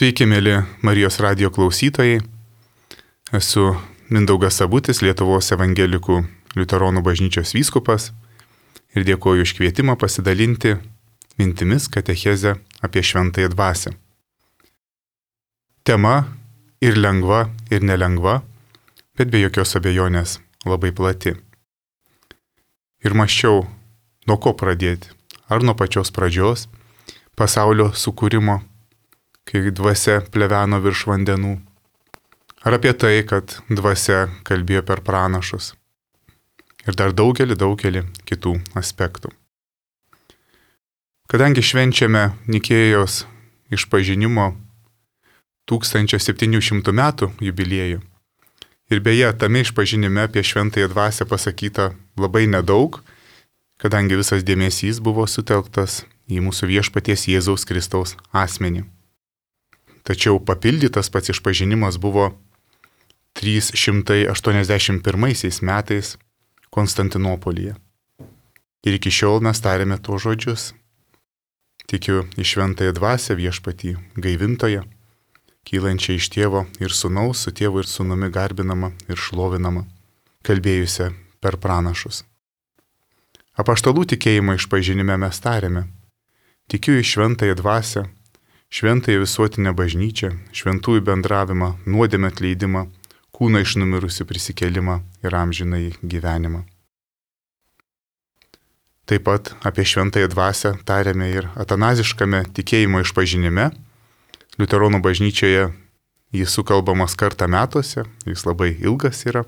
Sveiki, mėly Marijos radijo klausytojai. Esu Mindaugas Sabutis, Lietuvos evangelikų liuteronų bažnyčios vyskupas ir dėkoju už kvietimą pasidalinti mintimis katechezę apie šventąją dvasią. Tema ir lengva, ir nelengva, bet be jokios abejonės labai plati. Ir mąsčiau, nuo ko pradėti, ar nuo pačios pradžios, pasaulio sukūrimo, kai dvasia pleveno virš vandenų, ar apie tai, kad dvasia kalbėjo per pranašus ir dar daugelį kitų aspektų. Kadangi švenčiame Nikėjos išpažinimo 1700 metų jubiliejų ir beje, tame išpažinime apie šventąją dvasią pasakyta labai nedaug, kadangi visas dėmesys buvo sutelktas į mūsų viešpaties Jėzaus Kristaus asmenį. Tačiau papildytas pats išpažinimas buvo 381 metais Konstantinopolyje. Ir iki šiol mes tariame to žodžius. Tikiu į šventąją dvasią viešpatį gaivintoją, kylančią iš tėvo ir sūnaus, su tėvu ir sūnumi garbinama ir šlovinama, kalbėjusią per pranašus. Apaštalų tikėjimo išpažinime mes tariame. Tikiu į šventąją dvasią, šventąją visuotinę bažnyčią, šventųjų bendravimą, nuodėmę atleidimą, kūną iš numirusių prisikėlimą ir amžinąjį gyvenimą. Taip pat apie šventąją dvasią tariame ir atanaziškame tikėjimo išpažinime. Liuteronų bažnyčioje jis sukalbamas kartą metuose, jis labai ilgas yra,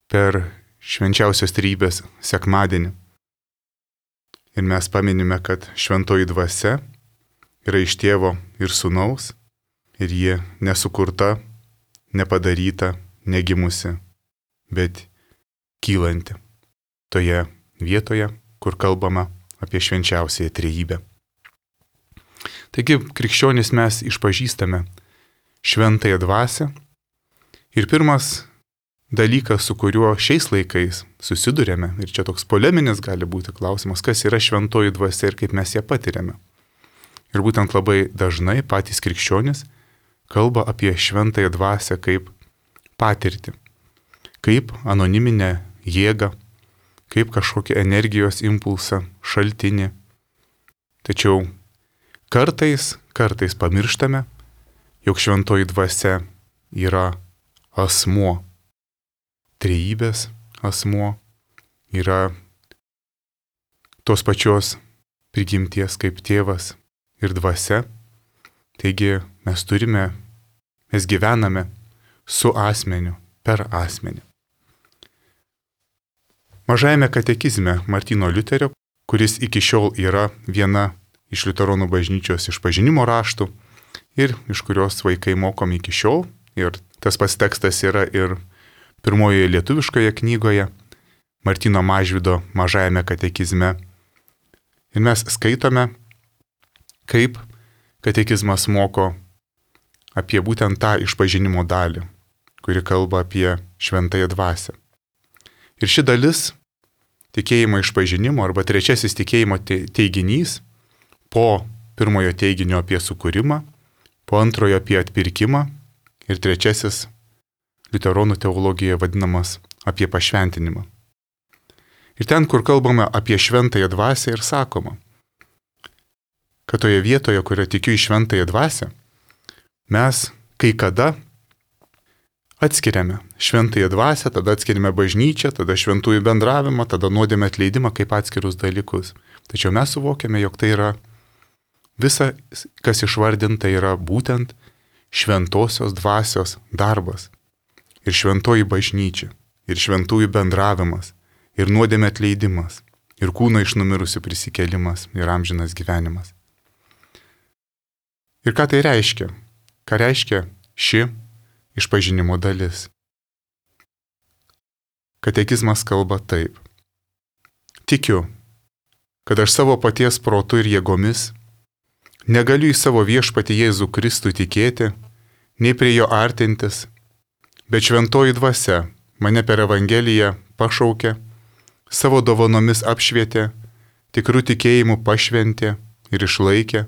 per švenčiausios trejybės sekmadienį. Ir mes paminime, kad šventoji dvasia yra iš tėvo ir sūnaus, ir ji nesukurta, nepadaryta, negimusi, bet kylanti toje vietoje, kur kalbama apie švenčiausiąją trejybę. Taigi, krikščionys mes išpažįstame šventąją dvasią ir pirmas dalykas, su kuriuo šiais laikais susidurėme, ir čia toks poleminis gali būti klausimas, kas yra šventoji dvasia ir kaip mes ją patiriame. Ir būtent labai dažnai patys krikščionys kalba apie šventąją dvasią kaip patirtį, kaip anoniminę jėgą, kaip kažkokį energijos impulsą, šaltinį. Tačiau kartais pamirštame, jog šventoji dvasia yra asmuo, trejybės asmuo, yra tos pačios prigimties kaip tėvas ir dvasia. Taigi mes gyvename su asmeniu, per asmenį. Mažajame katekizme Martyno Liuterio, kuris iki šiol yra viena iš liuteronų bažnyčios išpažinimo raštų ir iš kurios vaikai mokomi iki šiol, ir tas pats tekstas yra ir pirmojoje lietuviškoje knygoje, Martyno Mažvydo Mažajame katekizme. Ir mes skaitome, kaip katekizmas moko apie būtent tą išpažinimo dalį, kuri kalba apie šventąją dvasią. Ir ši dalis tikėjimo išpažinimo arba trečiasis tikėjimo teiginys po pirmojo teiginio apie sukūrimą, po antrojo apie atpirkimą ir trečiasis liuteronų teologijoje vadinamas apie pašventinimą. Ir ten, kur kalbame apie šventąją dvasią ir sakoma, kad toje vietoje, kurioje tikiu į šventąją dvasią, mes kai kada atskiriame šventąją dvasią, tada atskiriame bažnyčią, tada šventųjų bendravimą, tada nuodėmę atleidimą kaip atskirus dalykus. Tačiau mes suvokiame, jog tai yra visa, kas išvardinta, yra būtent šventosios dvasios darbas. Ir šventoji bažnyčia, ir šventųjų bendravimas, ir nuodėmė atleidimas, ir kūno iš numirusių prisikėlimas, ir amžinas gyvenimas. Ir ką tai reiškia? Ką reiškia ši išpažinimo dalis? Katekizmas kalba taip. Tikiu, kad aš savo paties protu ir jėgomis negaliu į savo viešpatį Jėzų Kristų tikėti, nei prie jo artintis, bet šventoji dvasia mane per Evangeliją pašaukė, savo dovanomis apšvietė, tikrų tikėjimų pašventė ir išlaikė,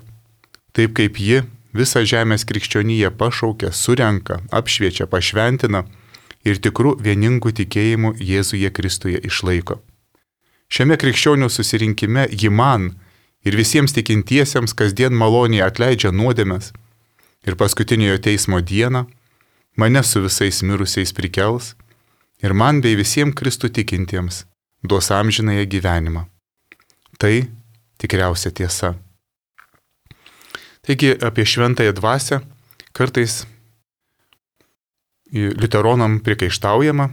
taip kaip ji visą žemės krikščionyje pašaukia, surenka, apšviečia, pašventina ir tikrų vieningų tikėjimų Jėzuje Kristuje išlaiko. Šiame krikščionių susirinkime ji man ir visiems tikintiesiems kasdien maloniai atleidžia nuodėmes ir paskutiniojo teismo dieną mane su visais mirusiais prikels ir man bei visiems Kristų tikintiems duos amžinąją gyvenimą. Tai tikriausia tiesa. Taigi apie šventąją dvasią kartais liuteronam prikaištaujama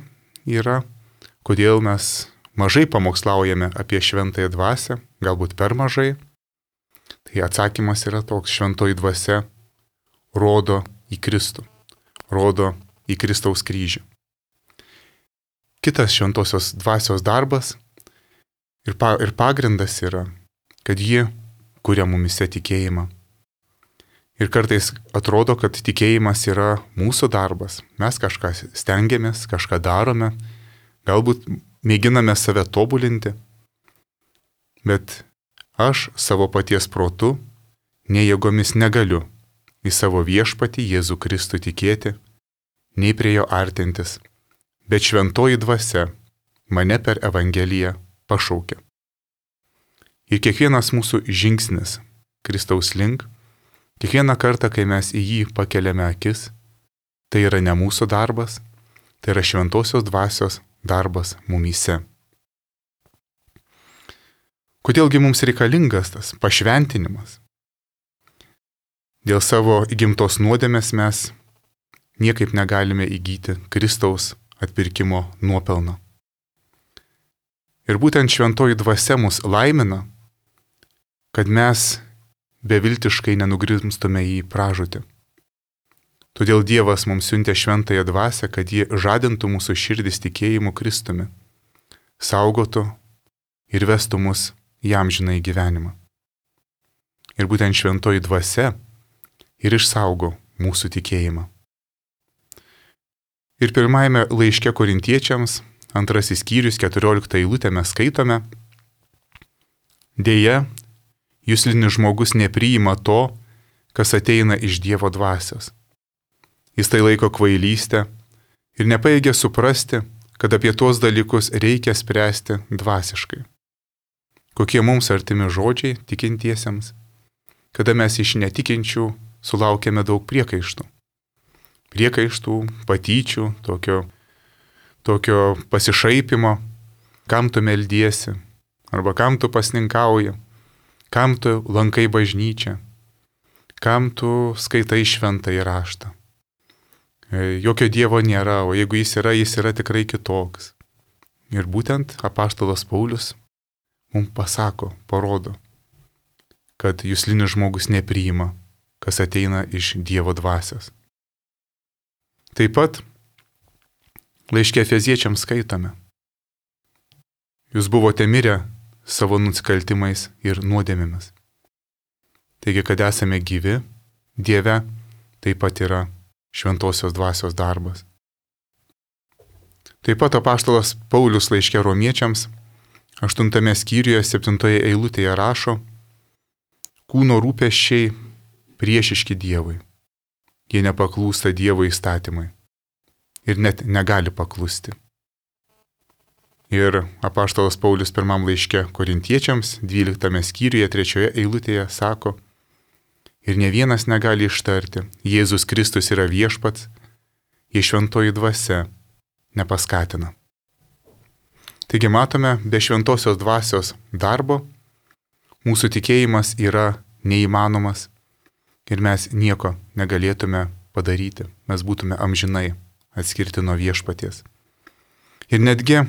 yra, kodėl mes mažai pamokslaujame apie šventąją dvasią, galbūt per mažai. Tai atsakymas yra toks: šventoji dvasia rodo į Kristų, rodo į Kristaus kryžių. Kitas šventosios dvasios darbas ir pagrindas yra, kad ji kuria mumise tikėjimą. Ir kartais atrodo, kad tikėjimas yra mūsų darbas. Mes kažką stengiamės, kažką darome, galbūt mėginame save tobulinti, bet aš savo paties protu, nei jėgomis negaliu į savo viešpatį Jėzų Kristų tikėti, nei prie jo artintis, bet šventoji dvasia mane per Evangeliją pašaukia. Ir kiekvienas mūsų žingsnis Kristaus link, kiekvieną kartą, kai mes į jį pakeliame akis, tai yra ne mūsų darbas, tai yra šventosios dvasios darbas mumyse. Kodėlgi mums reikalingas tas pašventinimas? Dėl savo įgimtos nuodėmės mes niekaip negalime įgyti Kristaus atpirkimo nuopelno. Ir būtent šventoji dvasia mus laimina, kad mes beviltiškai nenugrimstume į pražūtį. Todėl Dievas mums siuntė šventąją dvasią, kad ji žadintų mūsų širdis tikėjimu Kristumi, saugotų ir vestų mus į amžinąjį gyvenimą. Ir būtent šventoji dvasia ir išsaugo mūsų tikėjimą. Ir pirmajame laiške Korintiečiams, 2 skyrius, 14 eilutę mes skaitome: Deja, juslinis žmogus nepriima to, kas ateina iš Dievo dvasios. Jis tai laiko kvailystę ir nepajėgia suprasti, kad apie tuos dalykus reikia spręsti dvasiškai. Kokie mums artimi žodžiai tikintiesiems, kada mes iš netikinčių sulaukėme daug priekaištų. Priekaištų, patyčių, tokio pasišaipimo, kam tu meldiesi, arba kam tu pasninkauji, kam tu lankai bažnyčią, kam tu skaitai šventąjį raštą. Jokio Dievo nėra, o jeigu jis yra tikrai kitoks. Ir būtent apaštalas Paulius mums pasako, parodo, kad juslinis žmogus nepriima, kas ateina iš Dievo dvasios. Taip pat laiške Efeziečiams skaitome: Jūs buvote mirę savo nusikaltimais ir nuodėmėmis. Taigi, kad esame gyvi Dieve, taip pat yra šventosios dvasios darbas. Taip pat apaštalas Paulius laiške Romiečiams 8 skyriuje 7 eilutėje rašo: Kūno rūpesčiai priešiški Dievui. Jie nepaklūsta Dievo įstatymai ir net negali paklusti. Ir apaštalas Paulius pirmam laiške Korintiečiams 12 skyriuje 3 eilutėje sako: Ir ne vienas negali ištarti: Jėzus Kristus yra viešpats, jei šventoji dvasia nepaskatina. Taigi matome, be šventosios dvasios darbo mūsų tikėjimas yra neįmanomas ir mes nieko negalėtume padaryti. Mes būtume amžinai atskirti nuo viešpaties. Ir netgi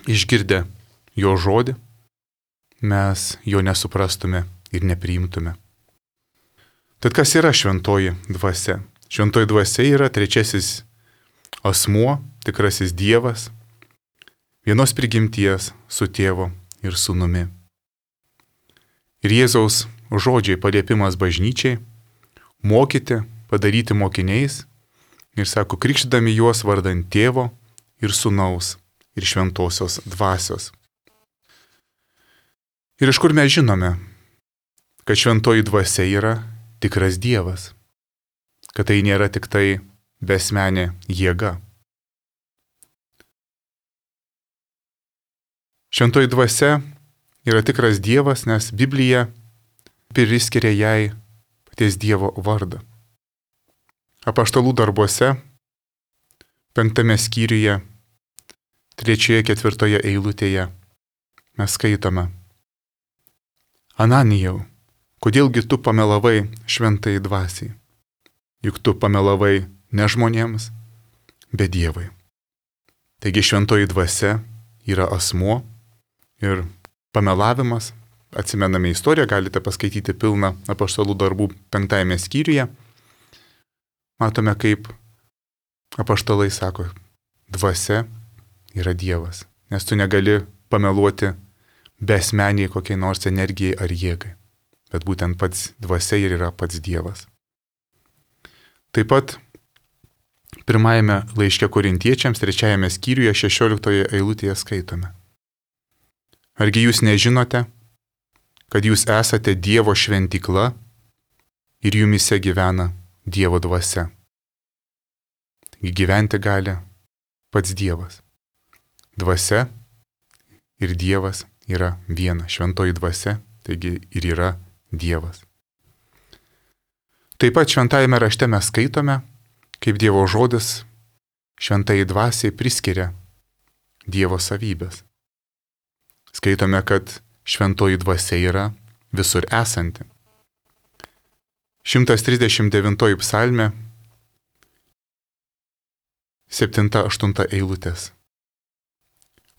išgirdę jo žodį, mes jo nesuprastume ir nepriimtume. Tad kas yra šventoji dvasia? Šventoji dvasia yra trečiasis asmuo, tikrasis Dievas, vienos prigimties su tėvu ir sūnumi. Ir Jėzaus žodžiai paliepimas bažnyčiai mokyti, padaryti mokiniais ir sako, krikštydami juos vardant tėvo ir sūnaus ir šventosios dvasios. Ir iš kur mes žinome, kad šventoji dvasia yra tikras Dievas, kad tai nėra tik tai besmenė jėga. Šventoji dvasia yra tikras Dievas, nes Biblija priskiria jai paties Dievo vardą. Apaštalų darbuose, 5 skyriuje, 3-4 eilutėje mes skaitome: Ananijau, kodėlgi tu pamelavai šventai dvasiai? Juk tu pamelavai ne žmonėms, bet Dievui. Taigi šventoji dvasia yra asmuo ir pamelavimas, atsimename istoriją, galite paskaityti pilną apaštalų darbų 5 skyriuje. Matome, kaip apaštalai sako, dvasia yra Dievas, nes tu negali pameluoti besmeniai kokiai nors energijai ar jėgai, bet būtent pats dvasia ir yra pats Dievas. Taip pat pirmajame laiške Korintiečiams 3 skyriuje 16 eilutėje skaitome: Argi jūs nežinote, kad jūs esate Dievo šventykla ir jumise gyvena Dievo dvasia? Gyventi gali pats Dievas. Dvasia ir Dievas yra viena. Šventoji dvasia, taigi ir yra Dievas. Taip pat šventajame rašte mes skaitome, kaip Dievo žodis šventai dvasiai priskiria Dievo savybės. Skaitome, kad šventoji dvasia yra visur esanti. 139 psalmė, 7-8 eilutės.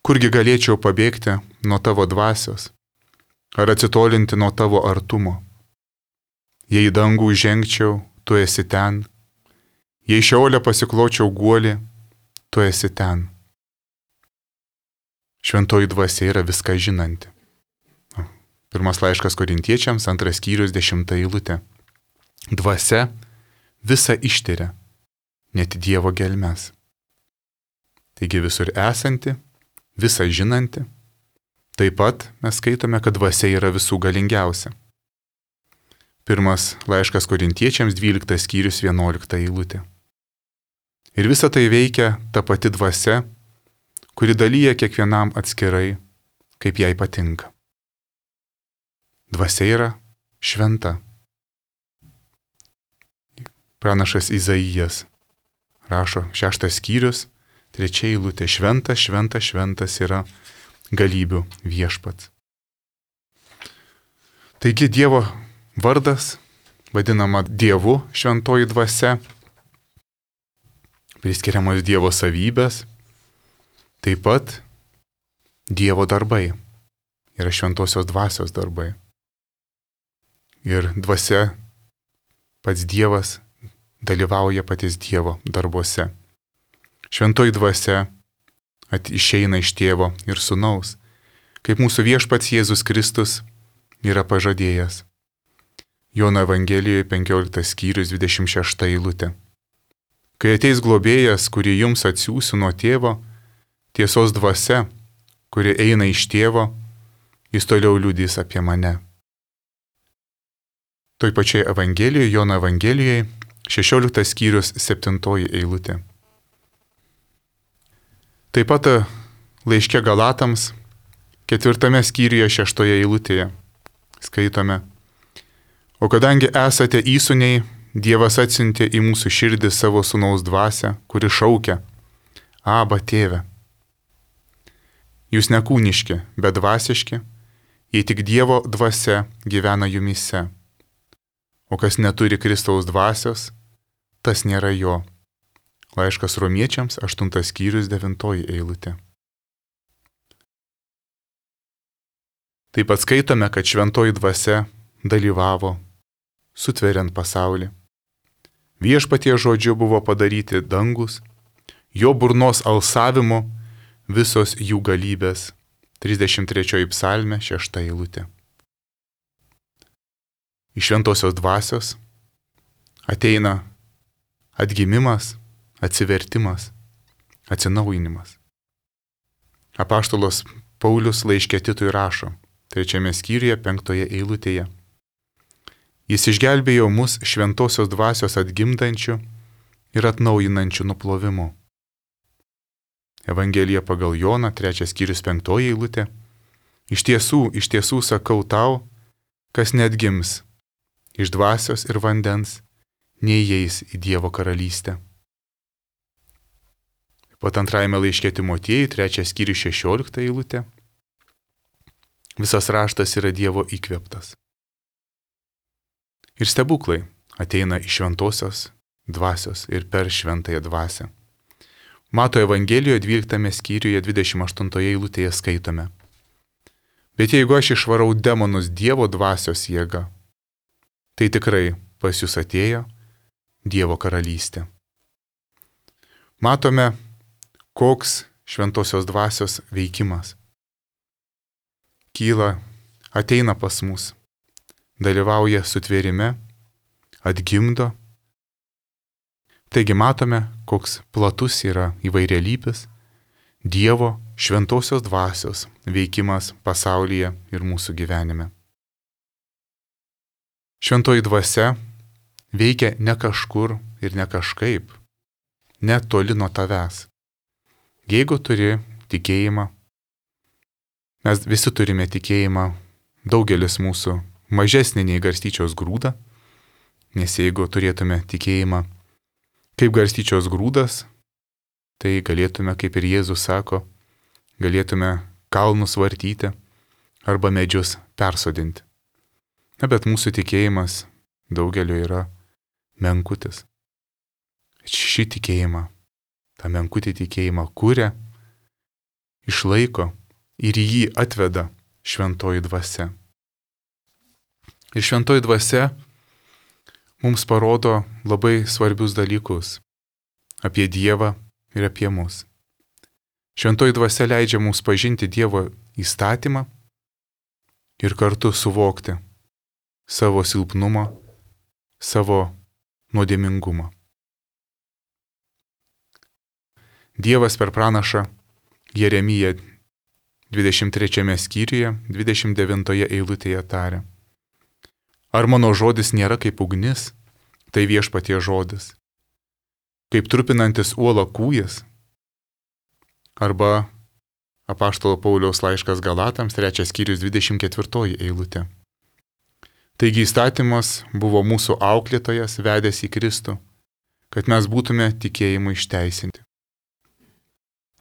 Kurgi galėčiau pabėgti nuo tavo dvasios, ar atsitolinti nuo tavo artumo? Jei į dangų žengčiau, tu esi ten, jei Šeole pasikločiau guolį, tu esi ten. Šventoji dvasia yra viską žinanti. Pirmas laiškas Korintiečiams, 2 skyrius, 10 eilutė. Dvasia visą ištiria, net Dievo gelmes. Taigi visur esanti, visą žinanti. Taip pat mes skaitome, kad dvasia yra visų galingiausia. Pirmas laiškas Korintiečiams, 12 skyrius, 11 eilutė. Ir visa tai veikia ta pati dvasia, kuri dalyja kiekvienam atskirai, kaip jai patinka. Dvasia yra šventa. Pranašas Izaijas rašo 6 skyrius, 3 eilutė: Šventas, šventas, šventas yra galybių viešpats. Taigi Dievo vardas, vadinama Dievu šventoji dvasia, priskiriamos Dievo savybės, taip pat Dievo darbai yra šventosios dvasios darbai. Ir dvasia, pats Dievas, dalyvauja patys Dievo darbuose. Šventoji dvasia išeina iš Tėvo ir Sūnaus, kaip mūsų viešpats Jėzus Kristus yra pažadėjęs. Jono Evangelijoje 15 skyrius 26 eilutė. Kai ateis globėjas, kurį jums atsiųsiu nuo Tėvo, tiesos dvasia, kuri eina iš Tėvo, jis toliau liudys apie mane. Toj pačiai Evangelijoje, Jono Evangelijoje, 16 skyrius 7 eilutė. Taip pat laiške Galatams, 4 skyriuje 6 eilutėje skaitome: O kadangi esate įsūniai, Dievas atsiuntė į mūsų širdį savo Sūnaus dvasią, kuri šaukia: Aba, Tėve. Jūs nekūniški, bet dvasiški, jei tik Dievo dvasia gyvena jumise. O kas neturi Kristaus dvasios, tas nėra jo. Laiškas Romiečiams, 8 skyrius 9 eilutė. Taip pat skaitome, kad šventoji dvasia dalyvavo, sutveriant pasaulį. Viešpatie žodžiu buvo padaryti dangus, jo burnos alsavimu visos jų galybės. 33 psalmė, 6 eilutė. Iš šventosios dvasios ateina atgimimas, atsivertimas, atsinaujinimas. Apaštalas Paulius laiške Titui rašo, 3 skyriuje 5 eilutėje: Jis išgelbėjo mus šventosios dvasios atgimdančių ir atnaujinančių nuplovimu. Evangelija pagal Joną, 3 skyrius 5 eilutė. Iš tiesų sakau tau, kas neatgims iš dvasios ir vandens, neįeis į Dievo karalystę. Pat 2 laiške Timotiejui, 3 skyrius 16 eilutė. Visas raštas yra Dievo įkvėptas. Ir stebuklai ateina iš šventosios dvasios ir per šventąją dvasią. Mato Evangelijoje 12 skyriuje 28 eilutėje skaitome. Bet jeigu aš išvarau demonus Dievo dvasios jėga, tai tikrai pas jūs atėjo Dievo karalystė. Matome, koks šventosios dvasios veikimas. Kyla, ateina pas mus, dalyvauja sutvėrime, atgimdo. Taigi matome, koks platus yra įvairialypis Dievo šventosios dvasios veikimas pasaulyje ir mūsų gyvenime. Šventoji dvasia veikia ne kažkur ir ne kažkaip, ne toli nuo tavęs. Jeigu turi tikėjimą, mes visi turime tikėjimą, daugelis mūsų mažesnį nei garstyčios grūdą, nes jeigu turėtume tikėjimą kaip garstyčios grūdas, tai galėtume, kaip ir Jėzus sako, galėtume kalnus vartyti arba medžius persodinti. Na, bet mūsų tikėjimas daugeliu yra menkutis. Šį tikėjimą, tą menkutį tikėjimą kuria, išlaiko ir į jį atveda šventoji dvasia. Ir šventoji dvasia mums parodo labai svarbius dalykus apie Dievą ir apie mus. Šventoji dvasia leidžia mums pažinti Dievo įstatymą ir kartu suvokti savo silpnumą, savo nuodėmingumą. Dievas per pranašą Jeremiją 23 skyriuje, 29 eilutėje taria. Ar mano žodis nėra kaip ugnis, tai viešpaties žodis, kaip trupinantis uolą kūjas, arba apaštalo Pauliaus laiškas Galatams, 3 skyrius 24 eilutė. Taigi įstatymas buvo mūsų auklėtojas, vedęs į Kristų, kad mes būtume tikėjimu išteisinti.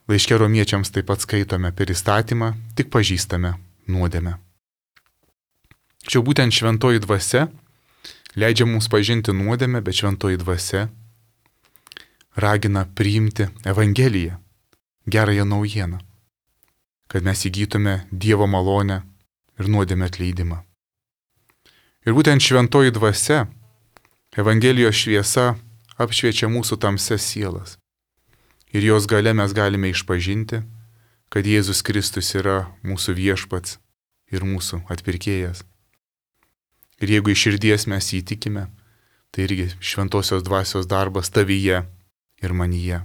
Laiške romiečiams taip pat skaitome, per įstatymą tik pažįstame nuodėmę. Tačiau būtent šventoji dvasia leidžia mums pažinti nuodėmę, bet šventoji dvasia ragina priimti Evangeliją, gerąją naujieną, kad mes įgytume Dievo malonę ir nuodėmę atleidimą. Ir būtent šventoji dvasia, Evangelijos šviesa apšviečia mūsų tamsias sielas. Ir jos gale mes galime išpažinti, kad Jėzus Kristus yra mūsų viešpats ir mūsų atpirkėjas. Ir jeigu iš širdies mes įtikime, tai irgi šventosios dvasios darbas tavyje ir manyje.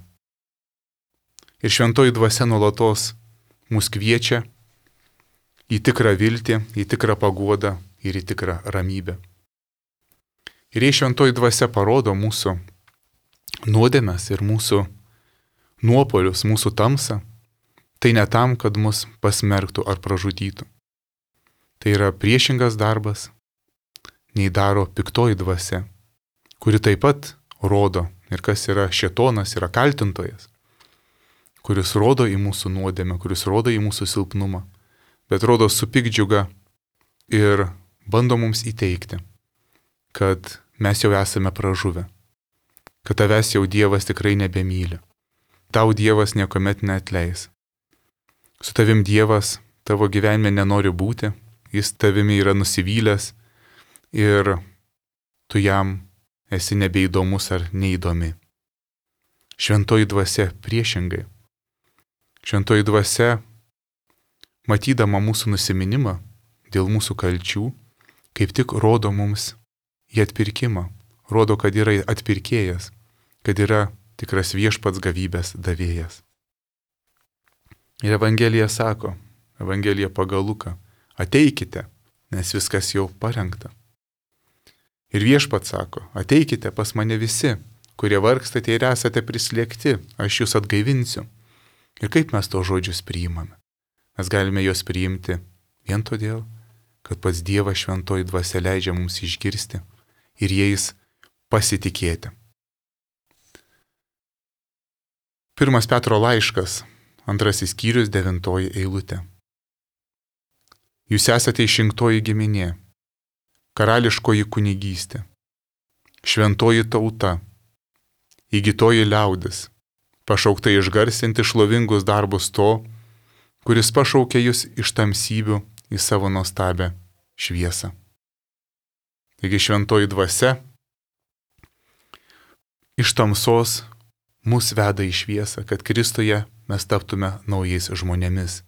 Ir šventoji dvasia nuolatos mus kviečia į tikrą viltį, į tikrą paguodą ir į tikrą ramybę. Ir jei šventoji dvasia parodo mūsų nuodėmes ir mūsų nuopolius, mūsų tamsą, tai ne tam, kad mus pasmerktų ar pražudytų. Tai yra priešingas darbas, nei daro piktoji dvasia, kuri taip pat rodo, ir kas yra šėtonas, yra kaltintojas, kuris rodo į mūsų nuodėmę, kuris rodo į mūsų silpnumą, bet rodo su piktdžiuga ir bando mums įteikti, kad mes jau esame pražuvę, kad tavęs jau Dievas tikrai nebemyli, tau Dievas niekuomet neatleis. Su tavim Dievas tavo gyvenime nenori būti, jis tavimi yra nusivylęs ir tu jam esi nebeįdomus ar neįdomi. Šventoji dvasia priešingai. Šventoji dvasia, matydama mūsų nusiminimą dėl mūsų kalčių, kaip tik rodo mums į atpirkimą, rodo, kad yra atpirkėjas, kad yra tikras viešpats gavybės davėjas. Ir Evangelija sako, Evangelija pagal Luką, ateikite, nes viskas jau parengta. Ir Viešpats sako, ateikite pas mane visi, kurie vargstate ir esate prislėgti, aš jūs atgaivinsiu. Ir kaip mes to žodžius priimame? Mes galime juos priimti vien todėl, kad pats Dievas šventoji dvasia leidžia mums išgirsti ir jais pasitikėti. 1 Petro laiškas, 2 skyrius, 9 eilutė. Jūs esate išrinktoji giminė, karališkoji kunigystė, šventoji tauta, įgytoji liaudis, pašaukta išgarsinti šlovingus darbus to, kuris pašaukė jūs iš tamsybių į savo nuostabią šviesą. Taigi šventoji dvasia iš tamsos mus veda į šviesą, kad Kristuje mes taptume naujais žmonėmis.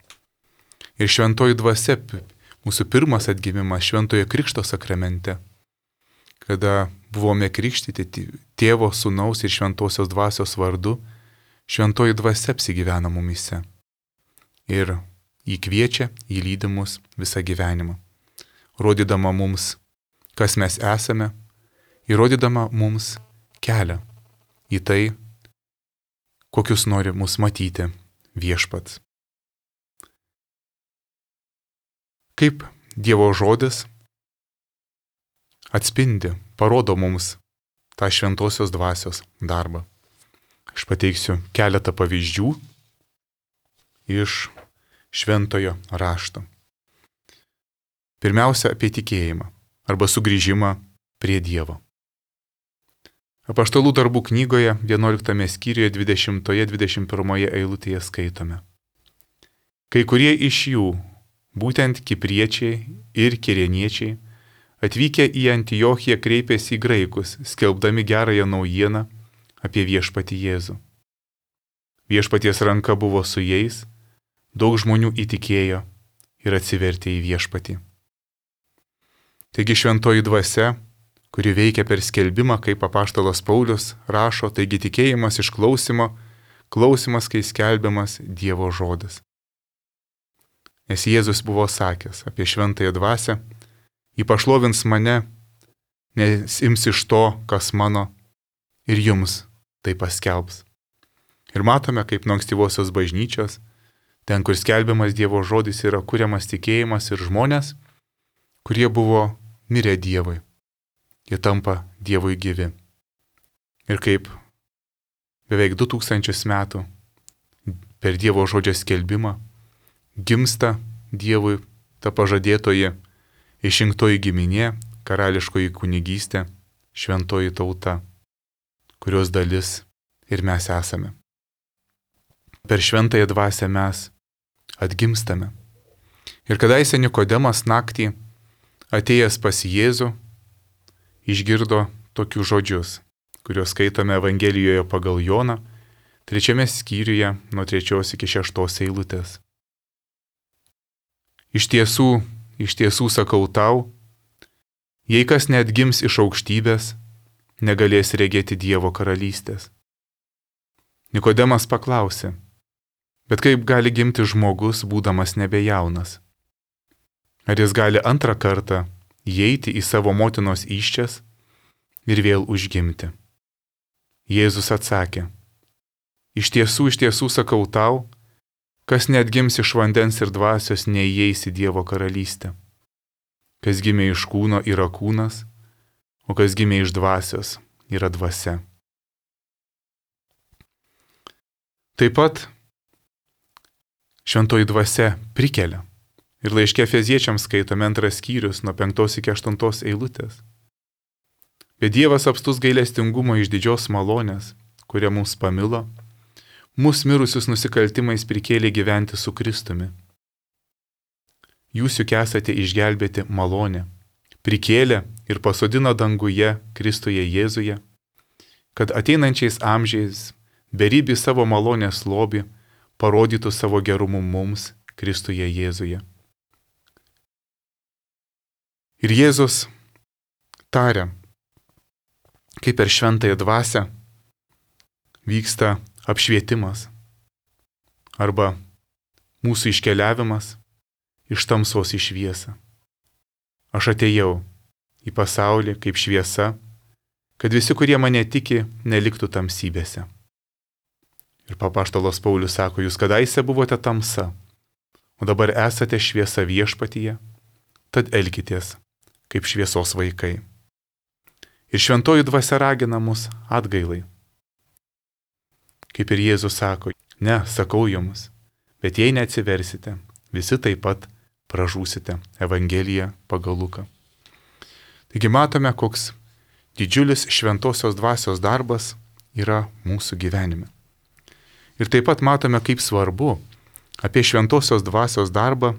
Ir šventoji dvasia, mūsų pirmas atgimimas šventojo krikšto sakramente, kada buvome krikštyti Tėvo, Sūnaus ir Šventosios dvasios vardu, šventoji dvasia apsigyvena mumyse ir įkviečia, įlydi mus visą gyvenimą, rodydama mums, kas mes esame, ir rodydama mums kelią į tai, kokius nori mus matyti Viešpats. Kaip Dievo žodis atspindi, parodo mums tą šventosios dvasios darbą. Aš pateiksiu keletą pavyzdžių iš šventojo rašto. Pirmiausia, apie tikėjimą arba sugrįžimą prie Dievo. Apaštalų darbų knygoje 11 skyriuje 20-21 eilutėje skaitome. Kai kurie iš jų, būtent kipriečiai ir kirėniečiai, atvykę į Antiochiją kreipėsi į graikus, skelbdami gerąją naujieną apie viešpatį Jėzų. Viešpaties ranka buvo su jais, daug žmonių įtikėjo ir atsivertė į viešpatį. Taigi šventoji dvasia, kuri veikia per skelbimą, kaip apaštalas Paulius rašo, taigi tikėjimas iš klausimo, klausimas, kai skelbiamas Dievo žodis. Nes Jėzus buvo sakęs apie šventąją dvasią, ji pašlovins mane, nes ims iš to, kas mano, ir jums tai paskelbs. Ir matome, kaip nuo ankstyvosios bažnyčios, ten, kur skelbiamas Dievo žodis, yra kuriamas tikėjimas ir žmonės, kurie buvo mirę Dievui. Jie tampa Dievui gyvi. Ir kaip beveik 2000 metų per Dievo žodžio skelbimą gimsta Dievui ta pažadėtoji išrinktoji giminė, karališkoji kunigystė, šventoji tauta, kurios dalis ir mes esame. Per šventąją dvasią mes atgimstame. Ir kadaise Nikodemas naktį atėjęs pas Jėzų išgirdo tokius žodžius, kuriuos skaitome Evangelijoje pagal Joną, 3 skyriuje nuo 3 iki 6 eilutės. Iš tiesų sakau tau, jei kas neatgims iš aukštybės, negalės regėti Dievo karalystės. Nikodemas paklausė, bet kaip gali gimti žmogus, būdamas nebejaunas? Ar jis gali antrą kartą įeiti į savo motinos įsčias ir vėl užgimti? Jėzus atsakė, iš tiesų sakau tau, kas neatgims iš vandens ir dvasios, neįeis į Dievo karalystę. Kas gimė iš kūno yra kūnas, o kas gimė iš dvasios yra dvasia. Taip pat šventoji dvasia prikelia. Ir laiške Efeziečiams skaitome 2 skyrius nuo 5 iki 8 eilutės. Bet Dievas apstus gailestingumo iš didžios malonės, kurią mums pamilo, mus mirusius nusikaltimais prikėlė gyventi su Kristumi. Jūs juk esate išgelbėti malonę, prikėlė ir pasodino danguje Kristuje Jėzuje, kad ateinančiais amžiais beribį savo malonės lobį parodytų savo gerumu mums Kristuje Jėzuje. Ir Jėzus taria, kaip per šventąją dvasią vyksta apšvietimas arba mūsų iškeliavimas iš tamsos į šviesą. Aš atėjau į pasaulį kaip šviesa, kad visi, kurie mane tiki, neliktų tamsybėse. Ir apaštalas Paulius sako, jūs kadaise buvote tamsa, o dabar esate šviesa viešpatyje, tad elkitės kaip šviesos vaikai. Ir šventoji dvasia ragina mus atgailai. Kaip ir Jėzus sako, ne, sakau jums, bet jei neatsiversite, visi taip pat pražūsite. Evangelija pagal Luką. Taigi matome, koks didžiulis šventosios dvasios darbas yra mūsų gyvenime. Ir taip pat matome, kaip svarbu apie šventosios dvasios darbą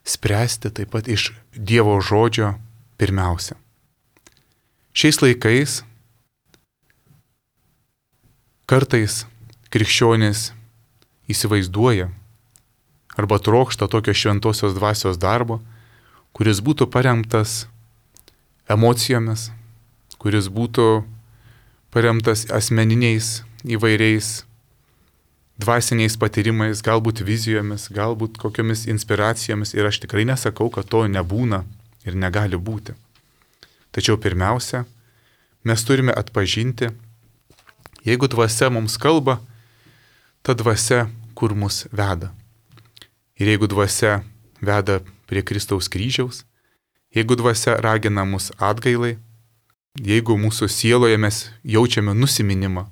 spręsti taip pat iš Dievo žodžio pirmiausia. Šiais laikais kartais krikščionys įsivaizduoja arba trokšta tokio šventosios dvasios darbo, kuris būtų paremtas emocijomis, kuris būtų paremtas asmeniniais įvairiais dvasiniais patyrimais, galbūt vizijomis, galbūt kokiomis inspiracijomis. Ir aš tikrai nesakau, kad to nebūna ir negali būti. Tačiau pirmiausia, mes turime atpažinti, jeigu dvasia mums kalba, ta dvasia kur mus veda. Ir jeigu dvasia veda prie Kristaus kryžiaus, jeigu dvasia ragina mus atgailai, jeigu mūsų sieloje mes jaučiame nusiminimą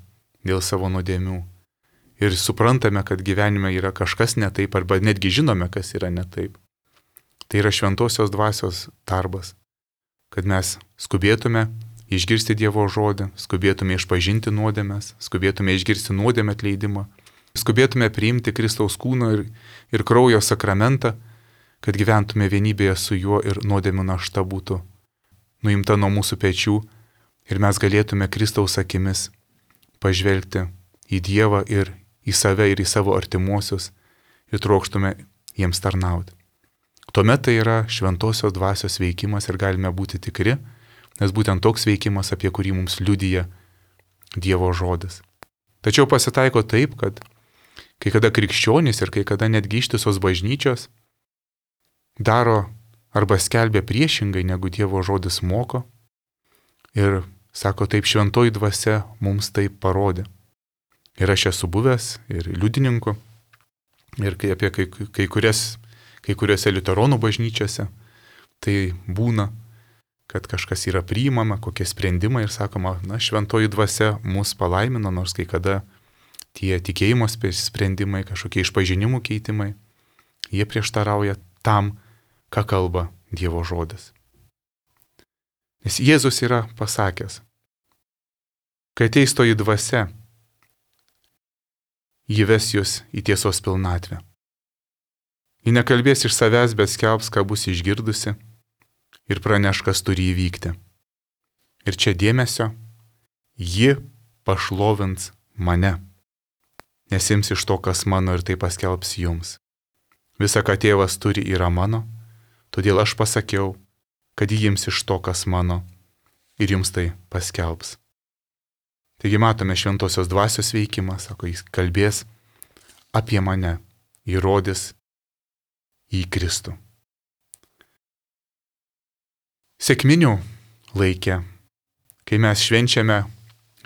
dėl savo nuodėmių ir suprantame, kad gyvenime yra kažkas ne taip, arba netgi žinome, kas yra ne taip, tai yra šventosios dvasios darbas, kad mes skubėtume išgirsti Dievo žodį, skubėtume išpažinti nuodėmes, skubėtume išgirsti nuodėmę atleidimą, skubėtume priimti Kristaus kūno ir kraujo sakramentą, kad gyventume vienybėje su juo ir nuodėmių našta būtų nuimta nuo mūsų pečių ir mes galėtume Kristaus akimis pažvelgti į Dievą ir į save ir į savo artimuosius ir trokštume jiems tarnauti. Tuomet tai yra šventosios dvasios veikimas ir galime būti tikri, nes būtent toks veikimas, apie kurį mums liudija Dievo žodis. Tačiau pasitaiko taip, kad kai kada krikščionys ir kai kada netgi ištisos bažnyčios daro arba skelbia priešingai, negu Dievo žodis moko ir sako, taip šventoji dvasia mums taip parodė. Ir aš esu buvęs ir liudininku ir apie kai kuriuose liuteronų bažnyčiose tai būna, kad kažkas yra priimama, kokie sprendimai ir sakoma, na, šventoji dvasia mus palaimino, nors kai kada tie tikėjimo sprendimai, kažkokie išpažinimų keitimai, jie prieštarauja tam, ką kalba Dievo žodis. Nes Jėzus yra pasakęs, kai ateis toji dvasia, ji ves jūs į tiesos pilnatvę. Ji nekalbės iš savęs, bet skelbs, ką bus išgirdusi ir praneš, kas turi įvykti. Ir čia dėmesio, ji pašlovins mane, nesims iš to, kas mano ir tai paskelbs jums. Visa, ką tėvas turi, yra mano, todėl aš pasakiau, kad ji ims iš to, kas mano ir jums tai paskelbs. Taigi matome šventosios dvasios veikimą, sako, jis kalbės apie mane, įrodys į Kristų. Sekminių laikė, kai mes švenčiame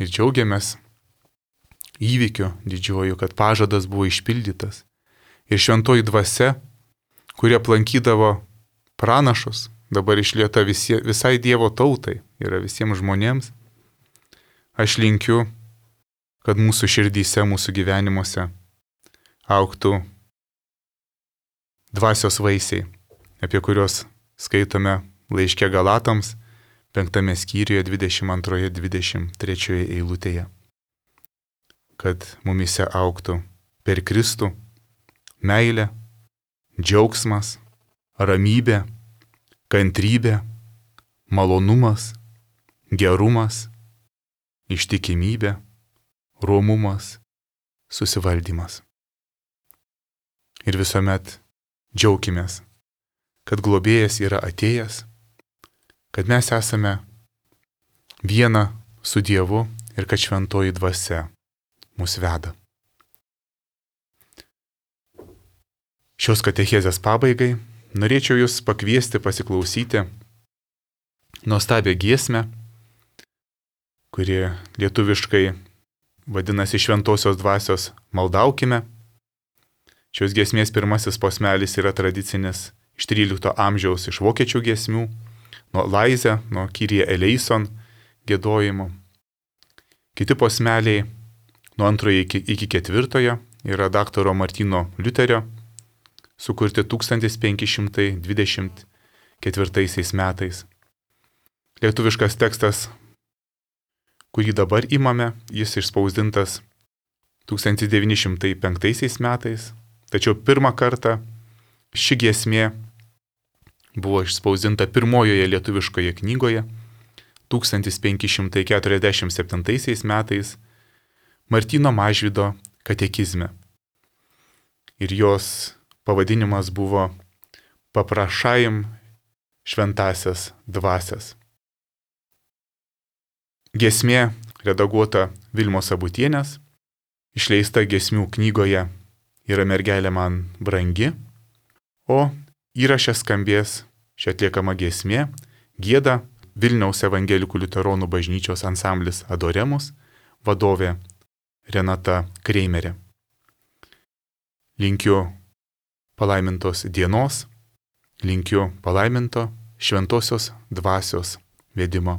ir džiaugiamės įvykiu didžiuoju, kad pažadas buvo išpildytas ir šventoji dvasia, kurie aplankydavo pranašus, dabar išlieta visai Dievo tautai, yra visiems žmonėms. Aš linkiu, kad mūsų širdyse, mūsų gyvenimuose augtų dvasios vaisiai, apie kuriuos skaitome laiške Galatams, 5 skyriuje 22-23 eilutėje. Kad mumise augtų per Kristų meilė, džiaugsmas, ramybė, kantrybė, malonumas, gerumas, ištikimybė, romumas, susivaldymas. Ir visuomet džiaukimės, kad globėjas yra atėjęs, kad mes esame viena su Dievu ir kad šventoji dvasia mus veda. Šios katechezės pabaigai norėčiau jūs pakviesti pasiklausyti nuostabią giesmę, kuri lietuviškai vadinasi Šventosios dvasios Maldaukime. Šios giesmės pirmasis posmelis yra tradicinis iš 13 amžiaus iš vokiečių giesmių, nuo Laize, nuo Kyrie eleison giedojimo. Kiti posmeliai nuo 2 iki 4 yra daktaro Martyno Liuterio, sukurti 1524 metais. Lietuviškas tekstas, kurį dabar imame, jis išspausdintas 1905 metais, tačiau pirmą kartą ši giesmė buvo išspausdinta pirmojoje lietuviškoje knygoje 1547 metais Martyno Mažvydo katekizme. Ir jos pavadinimas buvo Paprašajam šventasias dvasias. Giesmė redaguota Vilmos Sabutienės, išleista giesmių knygoje Yra mergelė man brangi, o įraše skambės šią atliekamą giesmė gieda Vilniaus evangelikų liuteronų bažnyčios ansamblis Adoremus, vadovė Renata Kreimerė. Linkiu palaimintos dienos, linkiu palaiminto šventosios dvasios vedimo.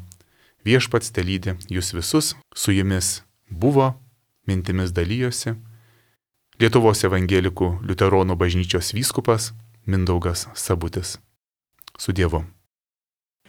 Viešpats telydi jūs visus, su jumis buvo, mintimis dalijosi Lietuvos evangelikų liuteronų bažnyčios vyskupas Mindaugas Sabutis. Su Dievu.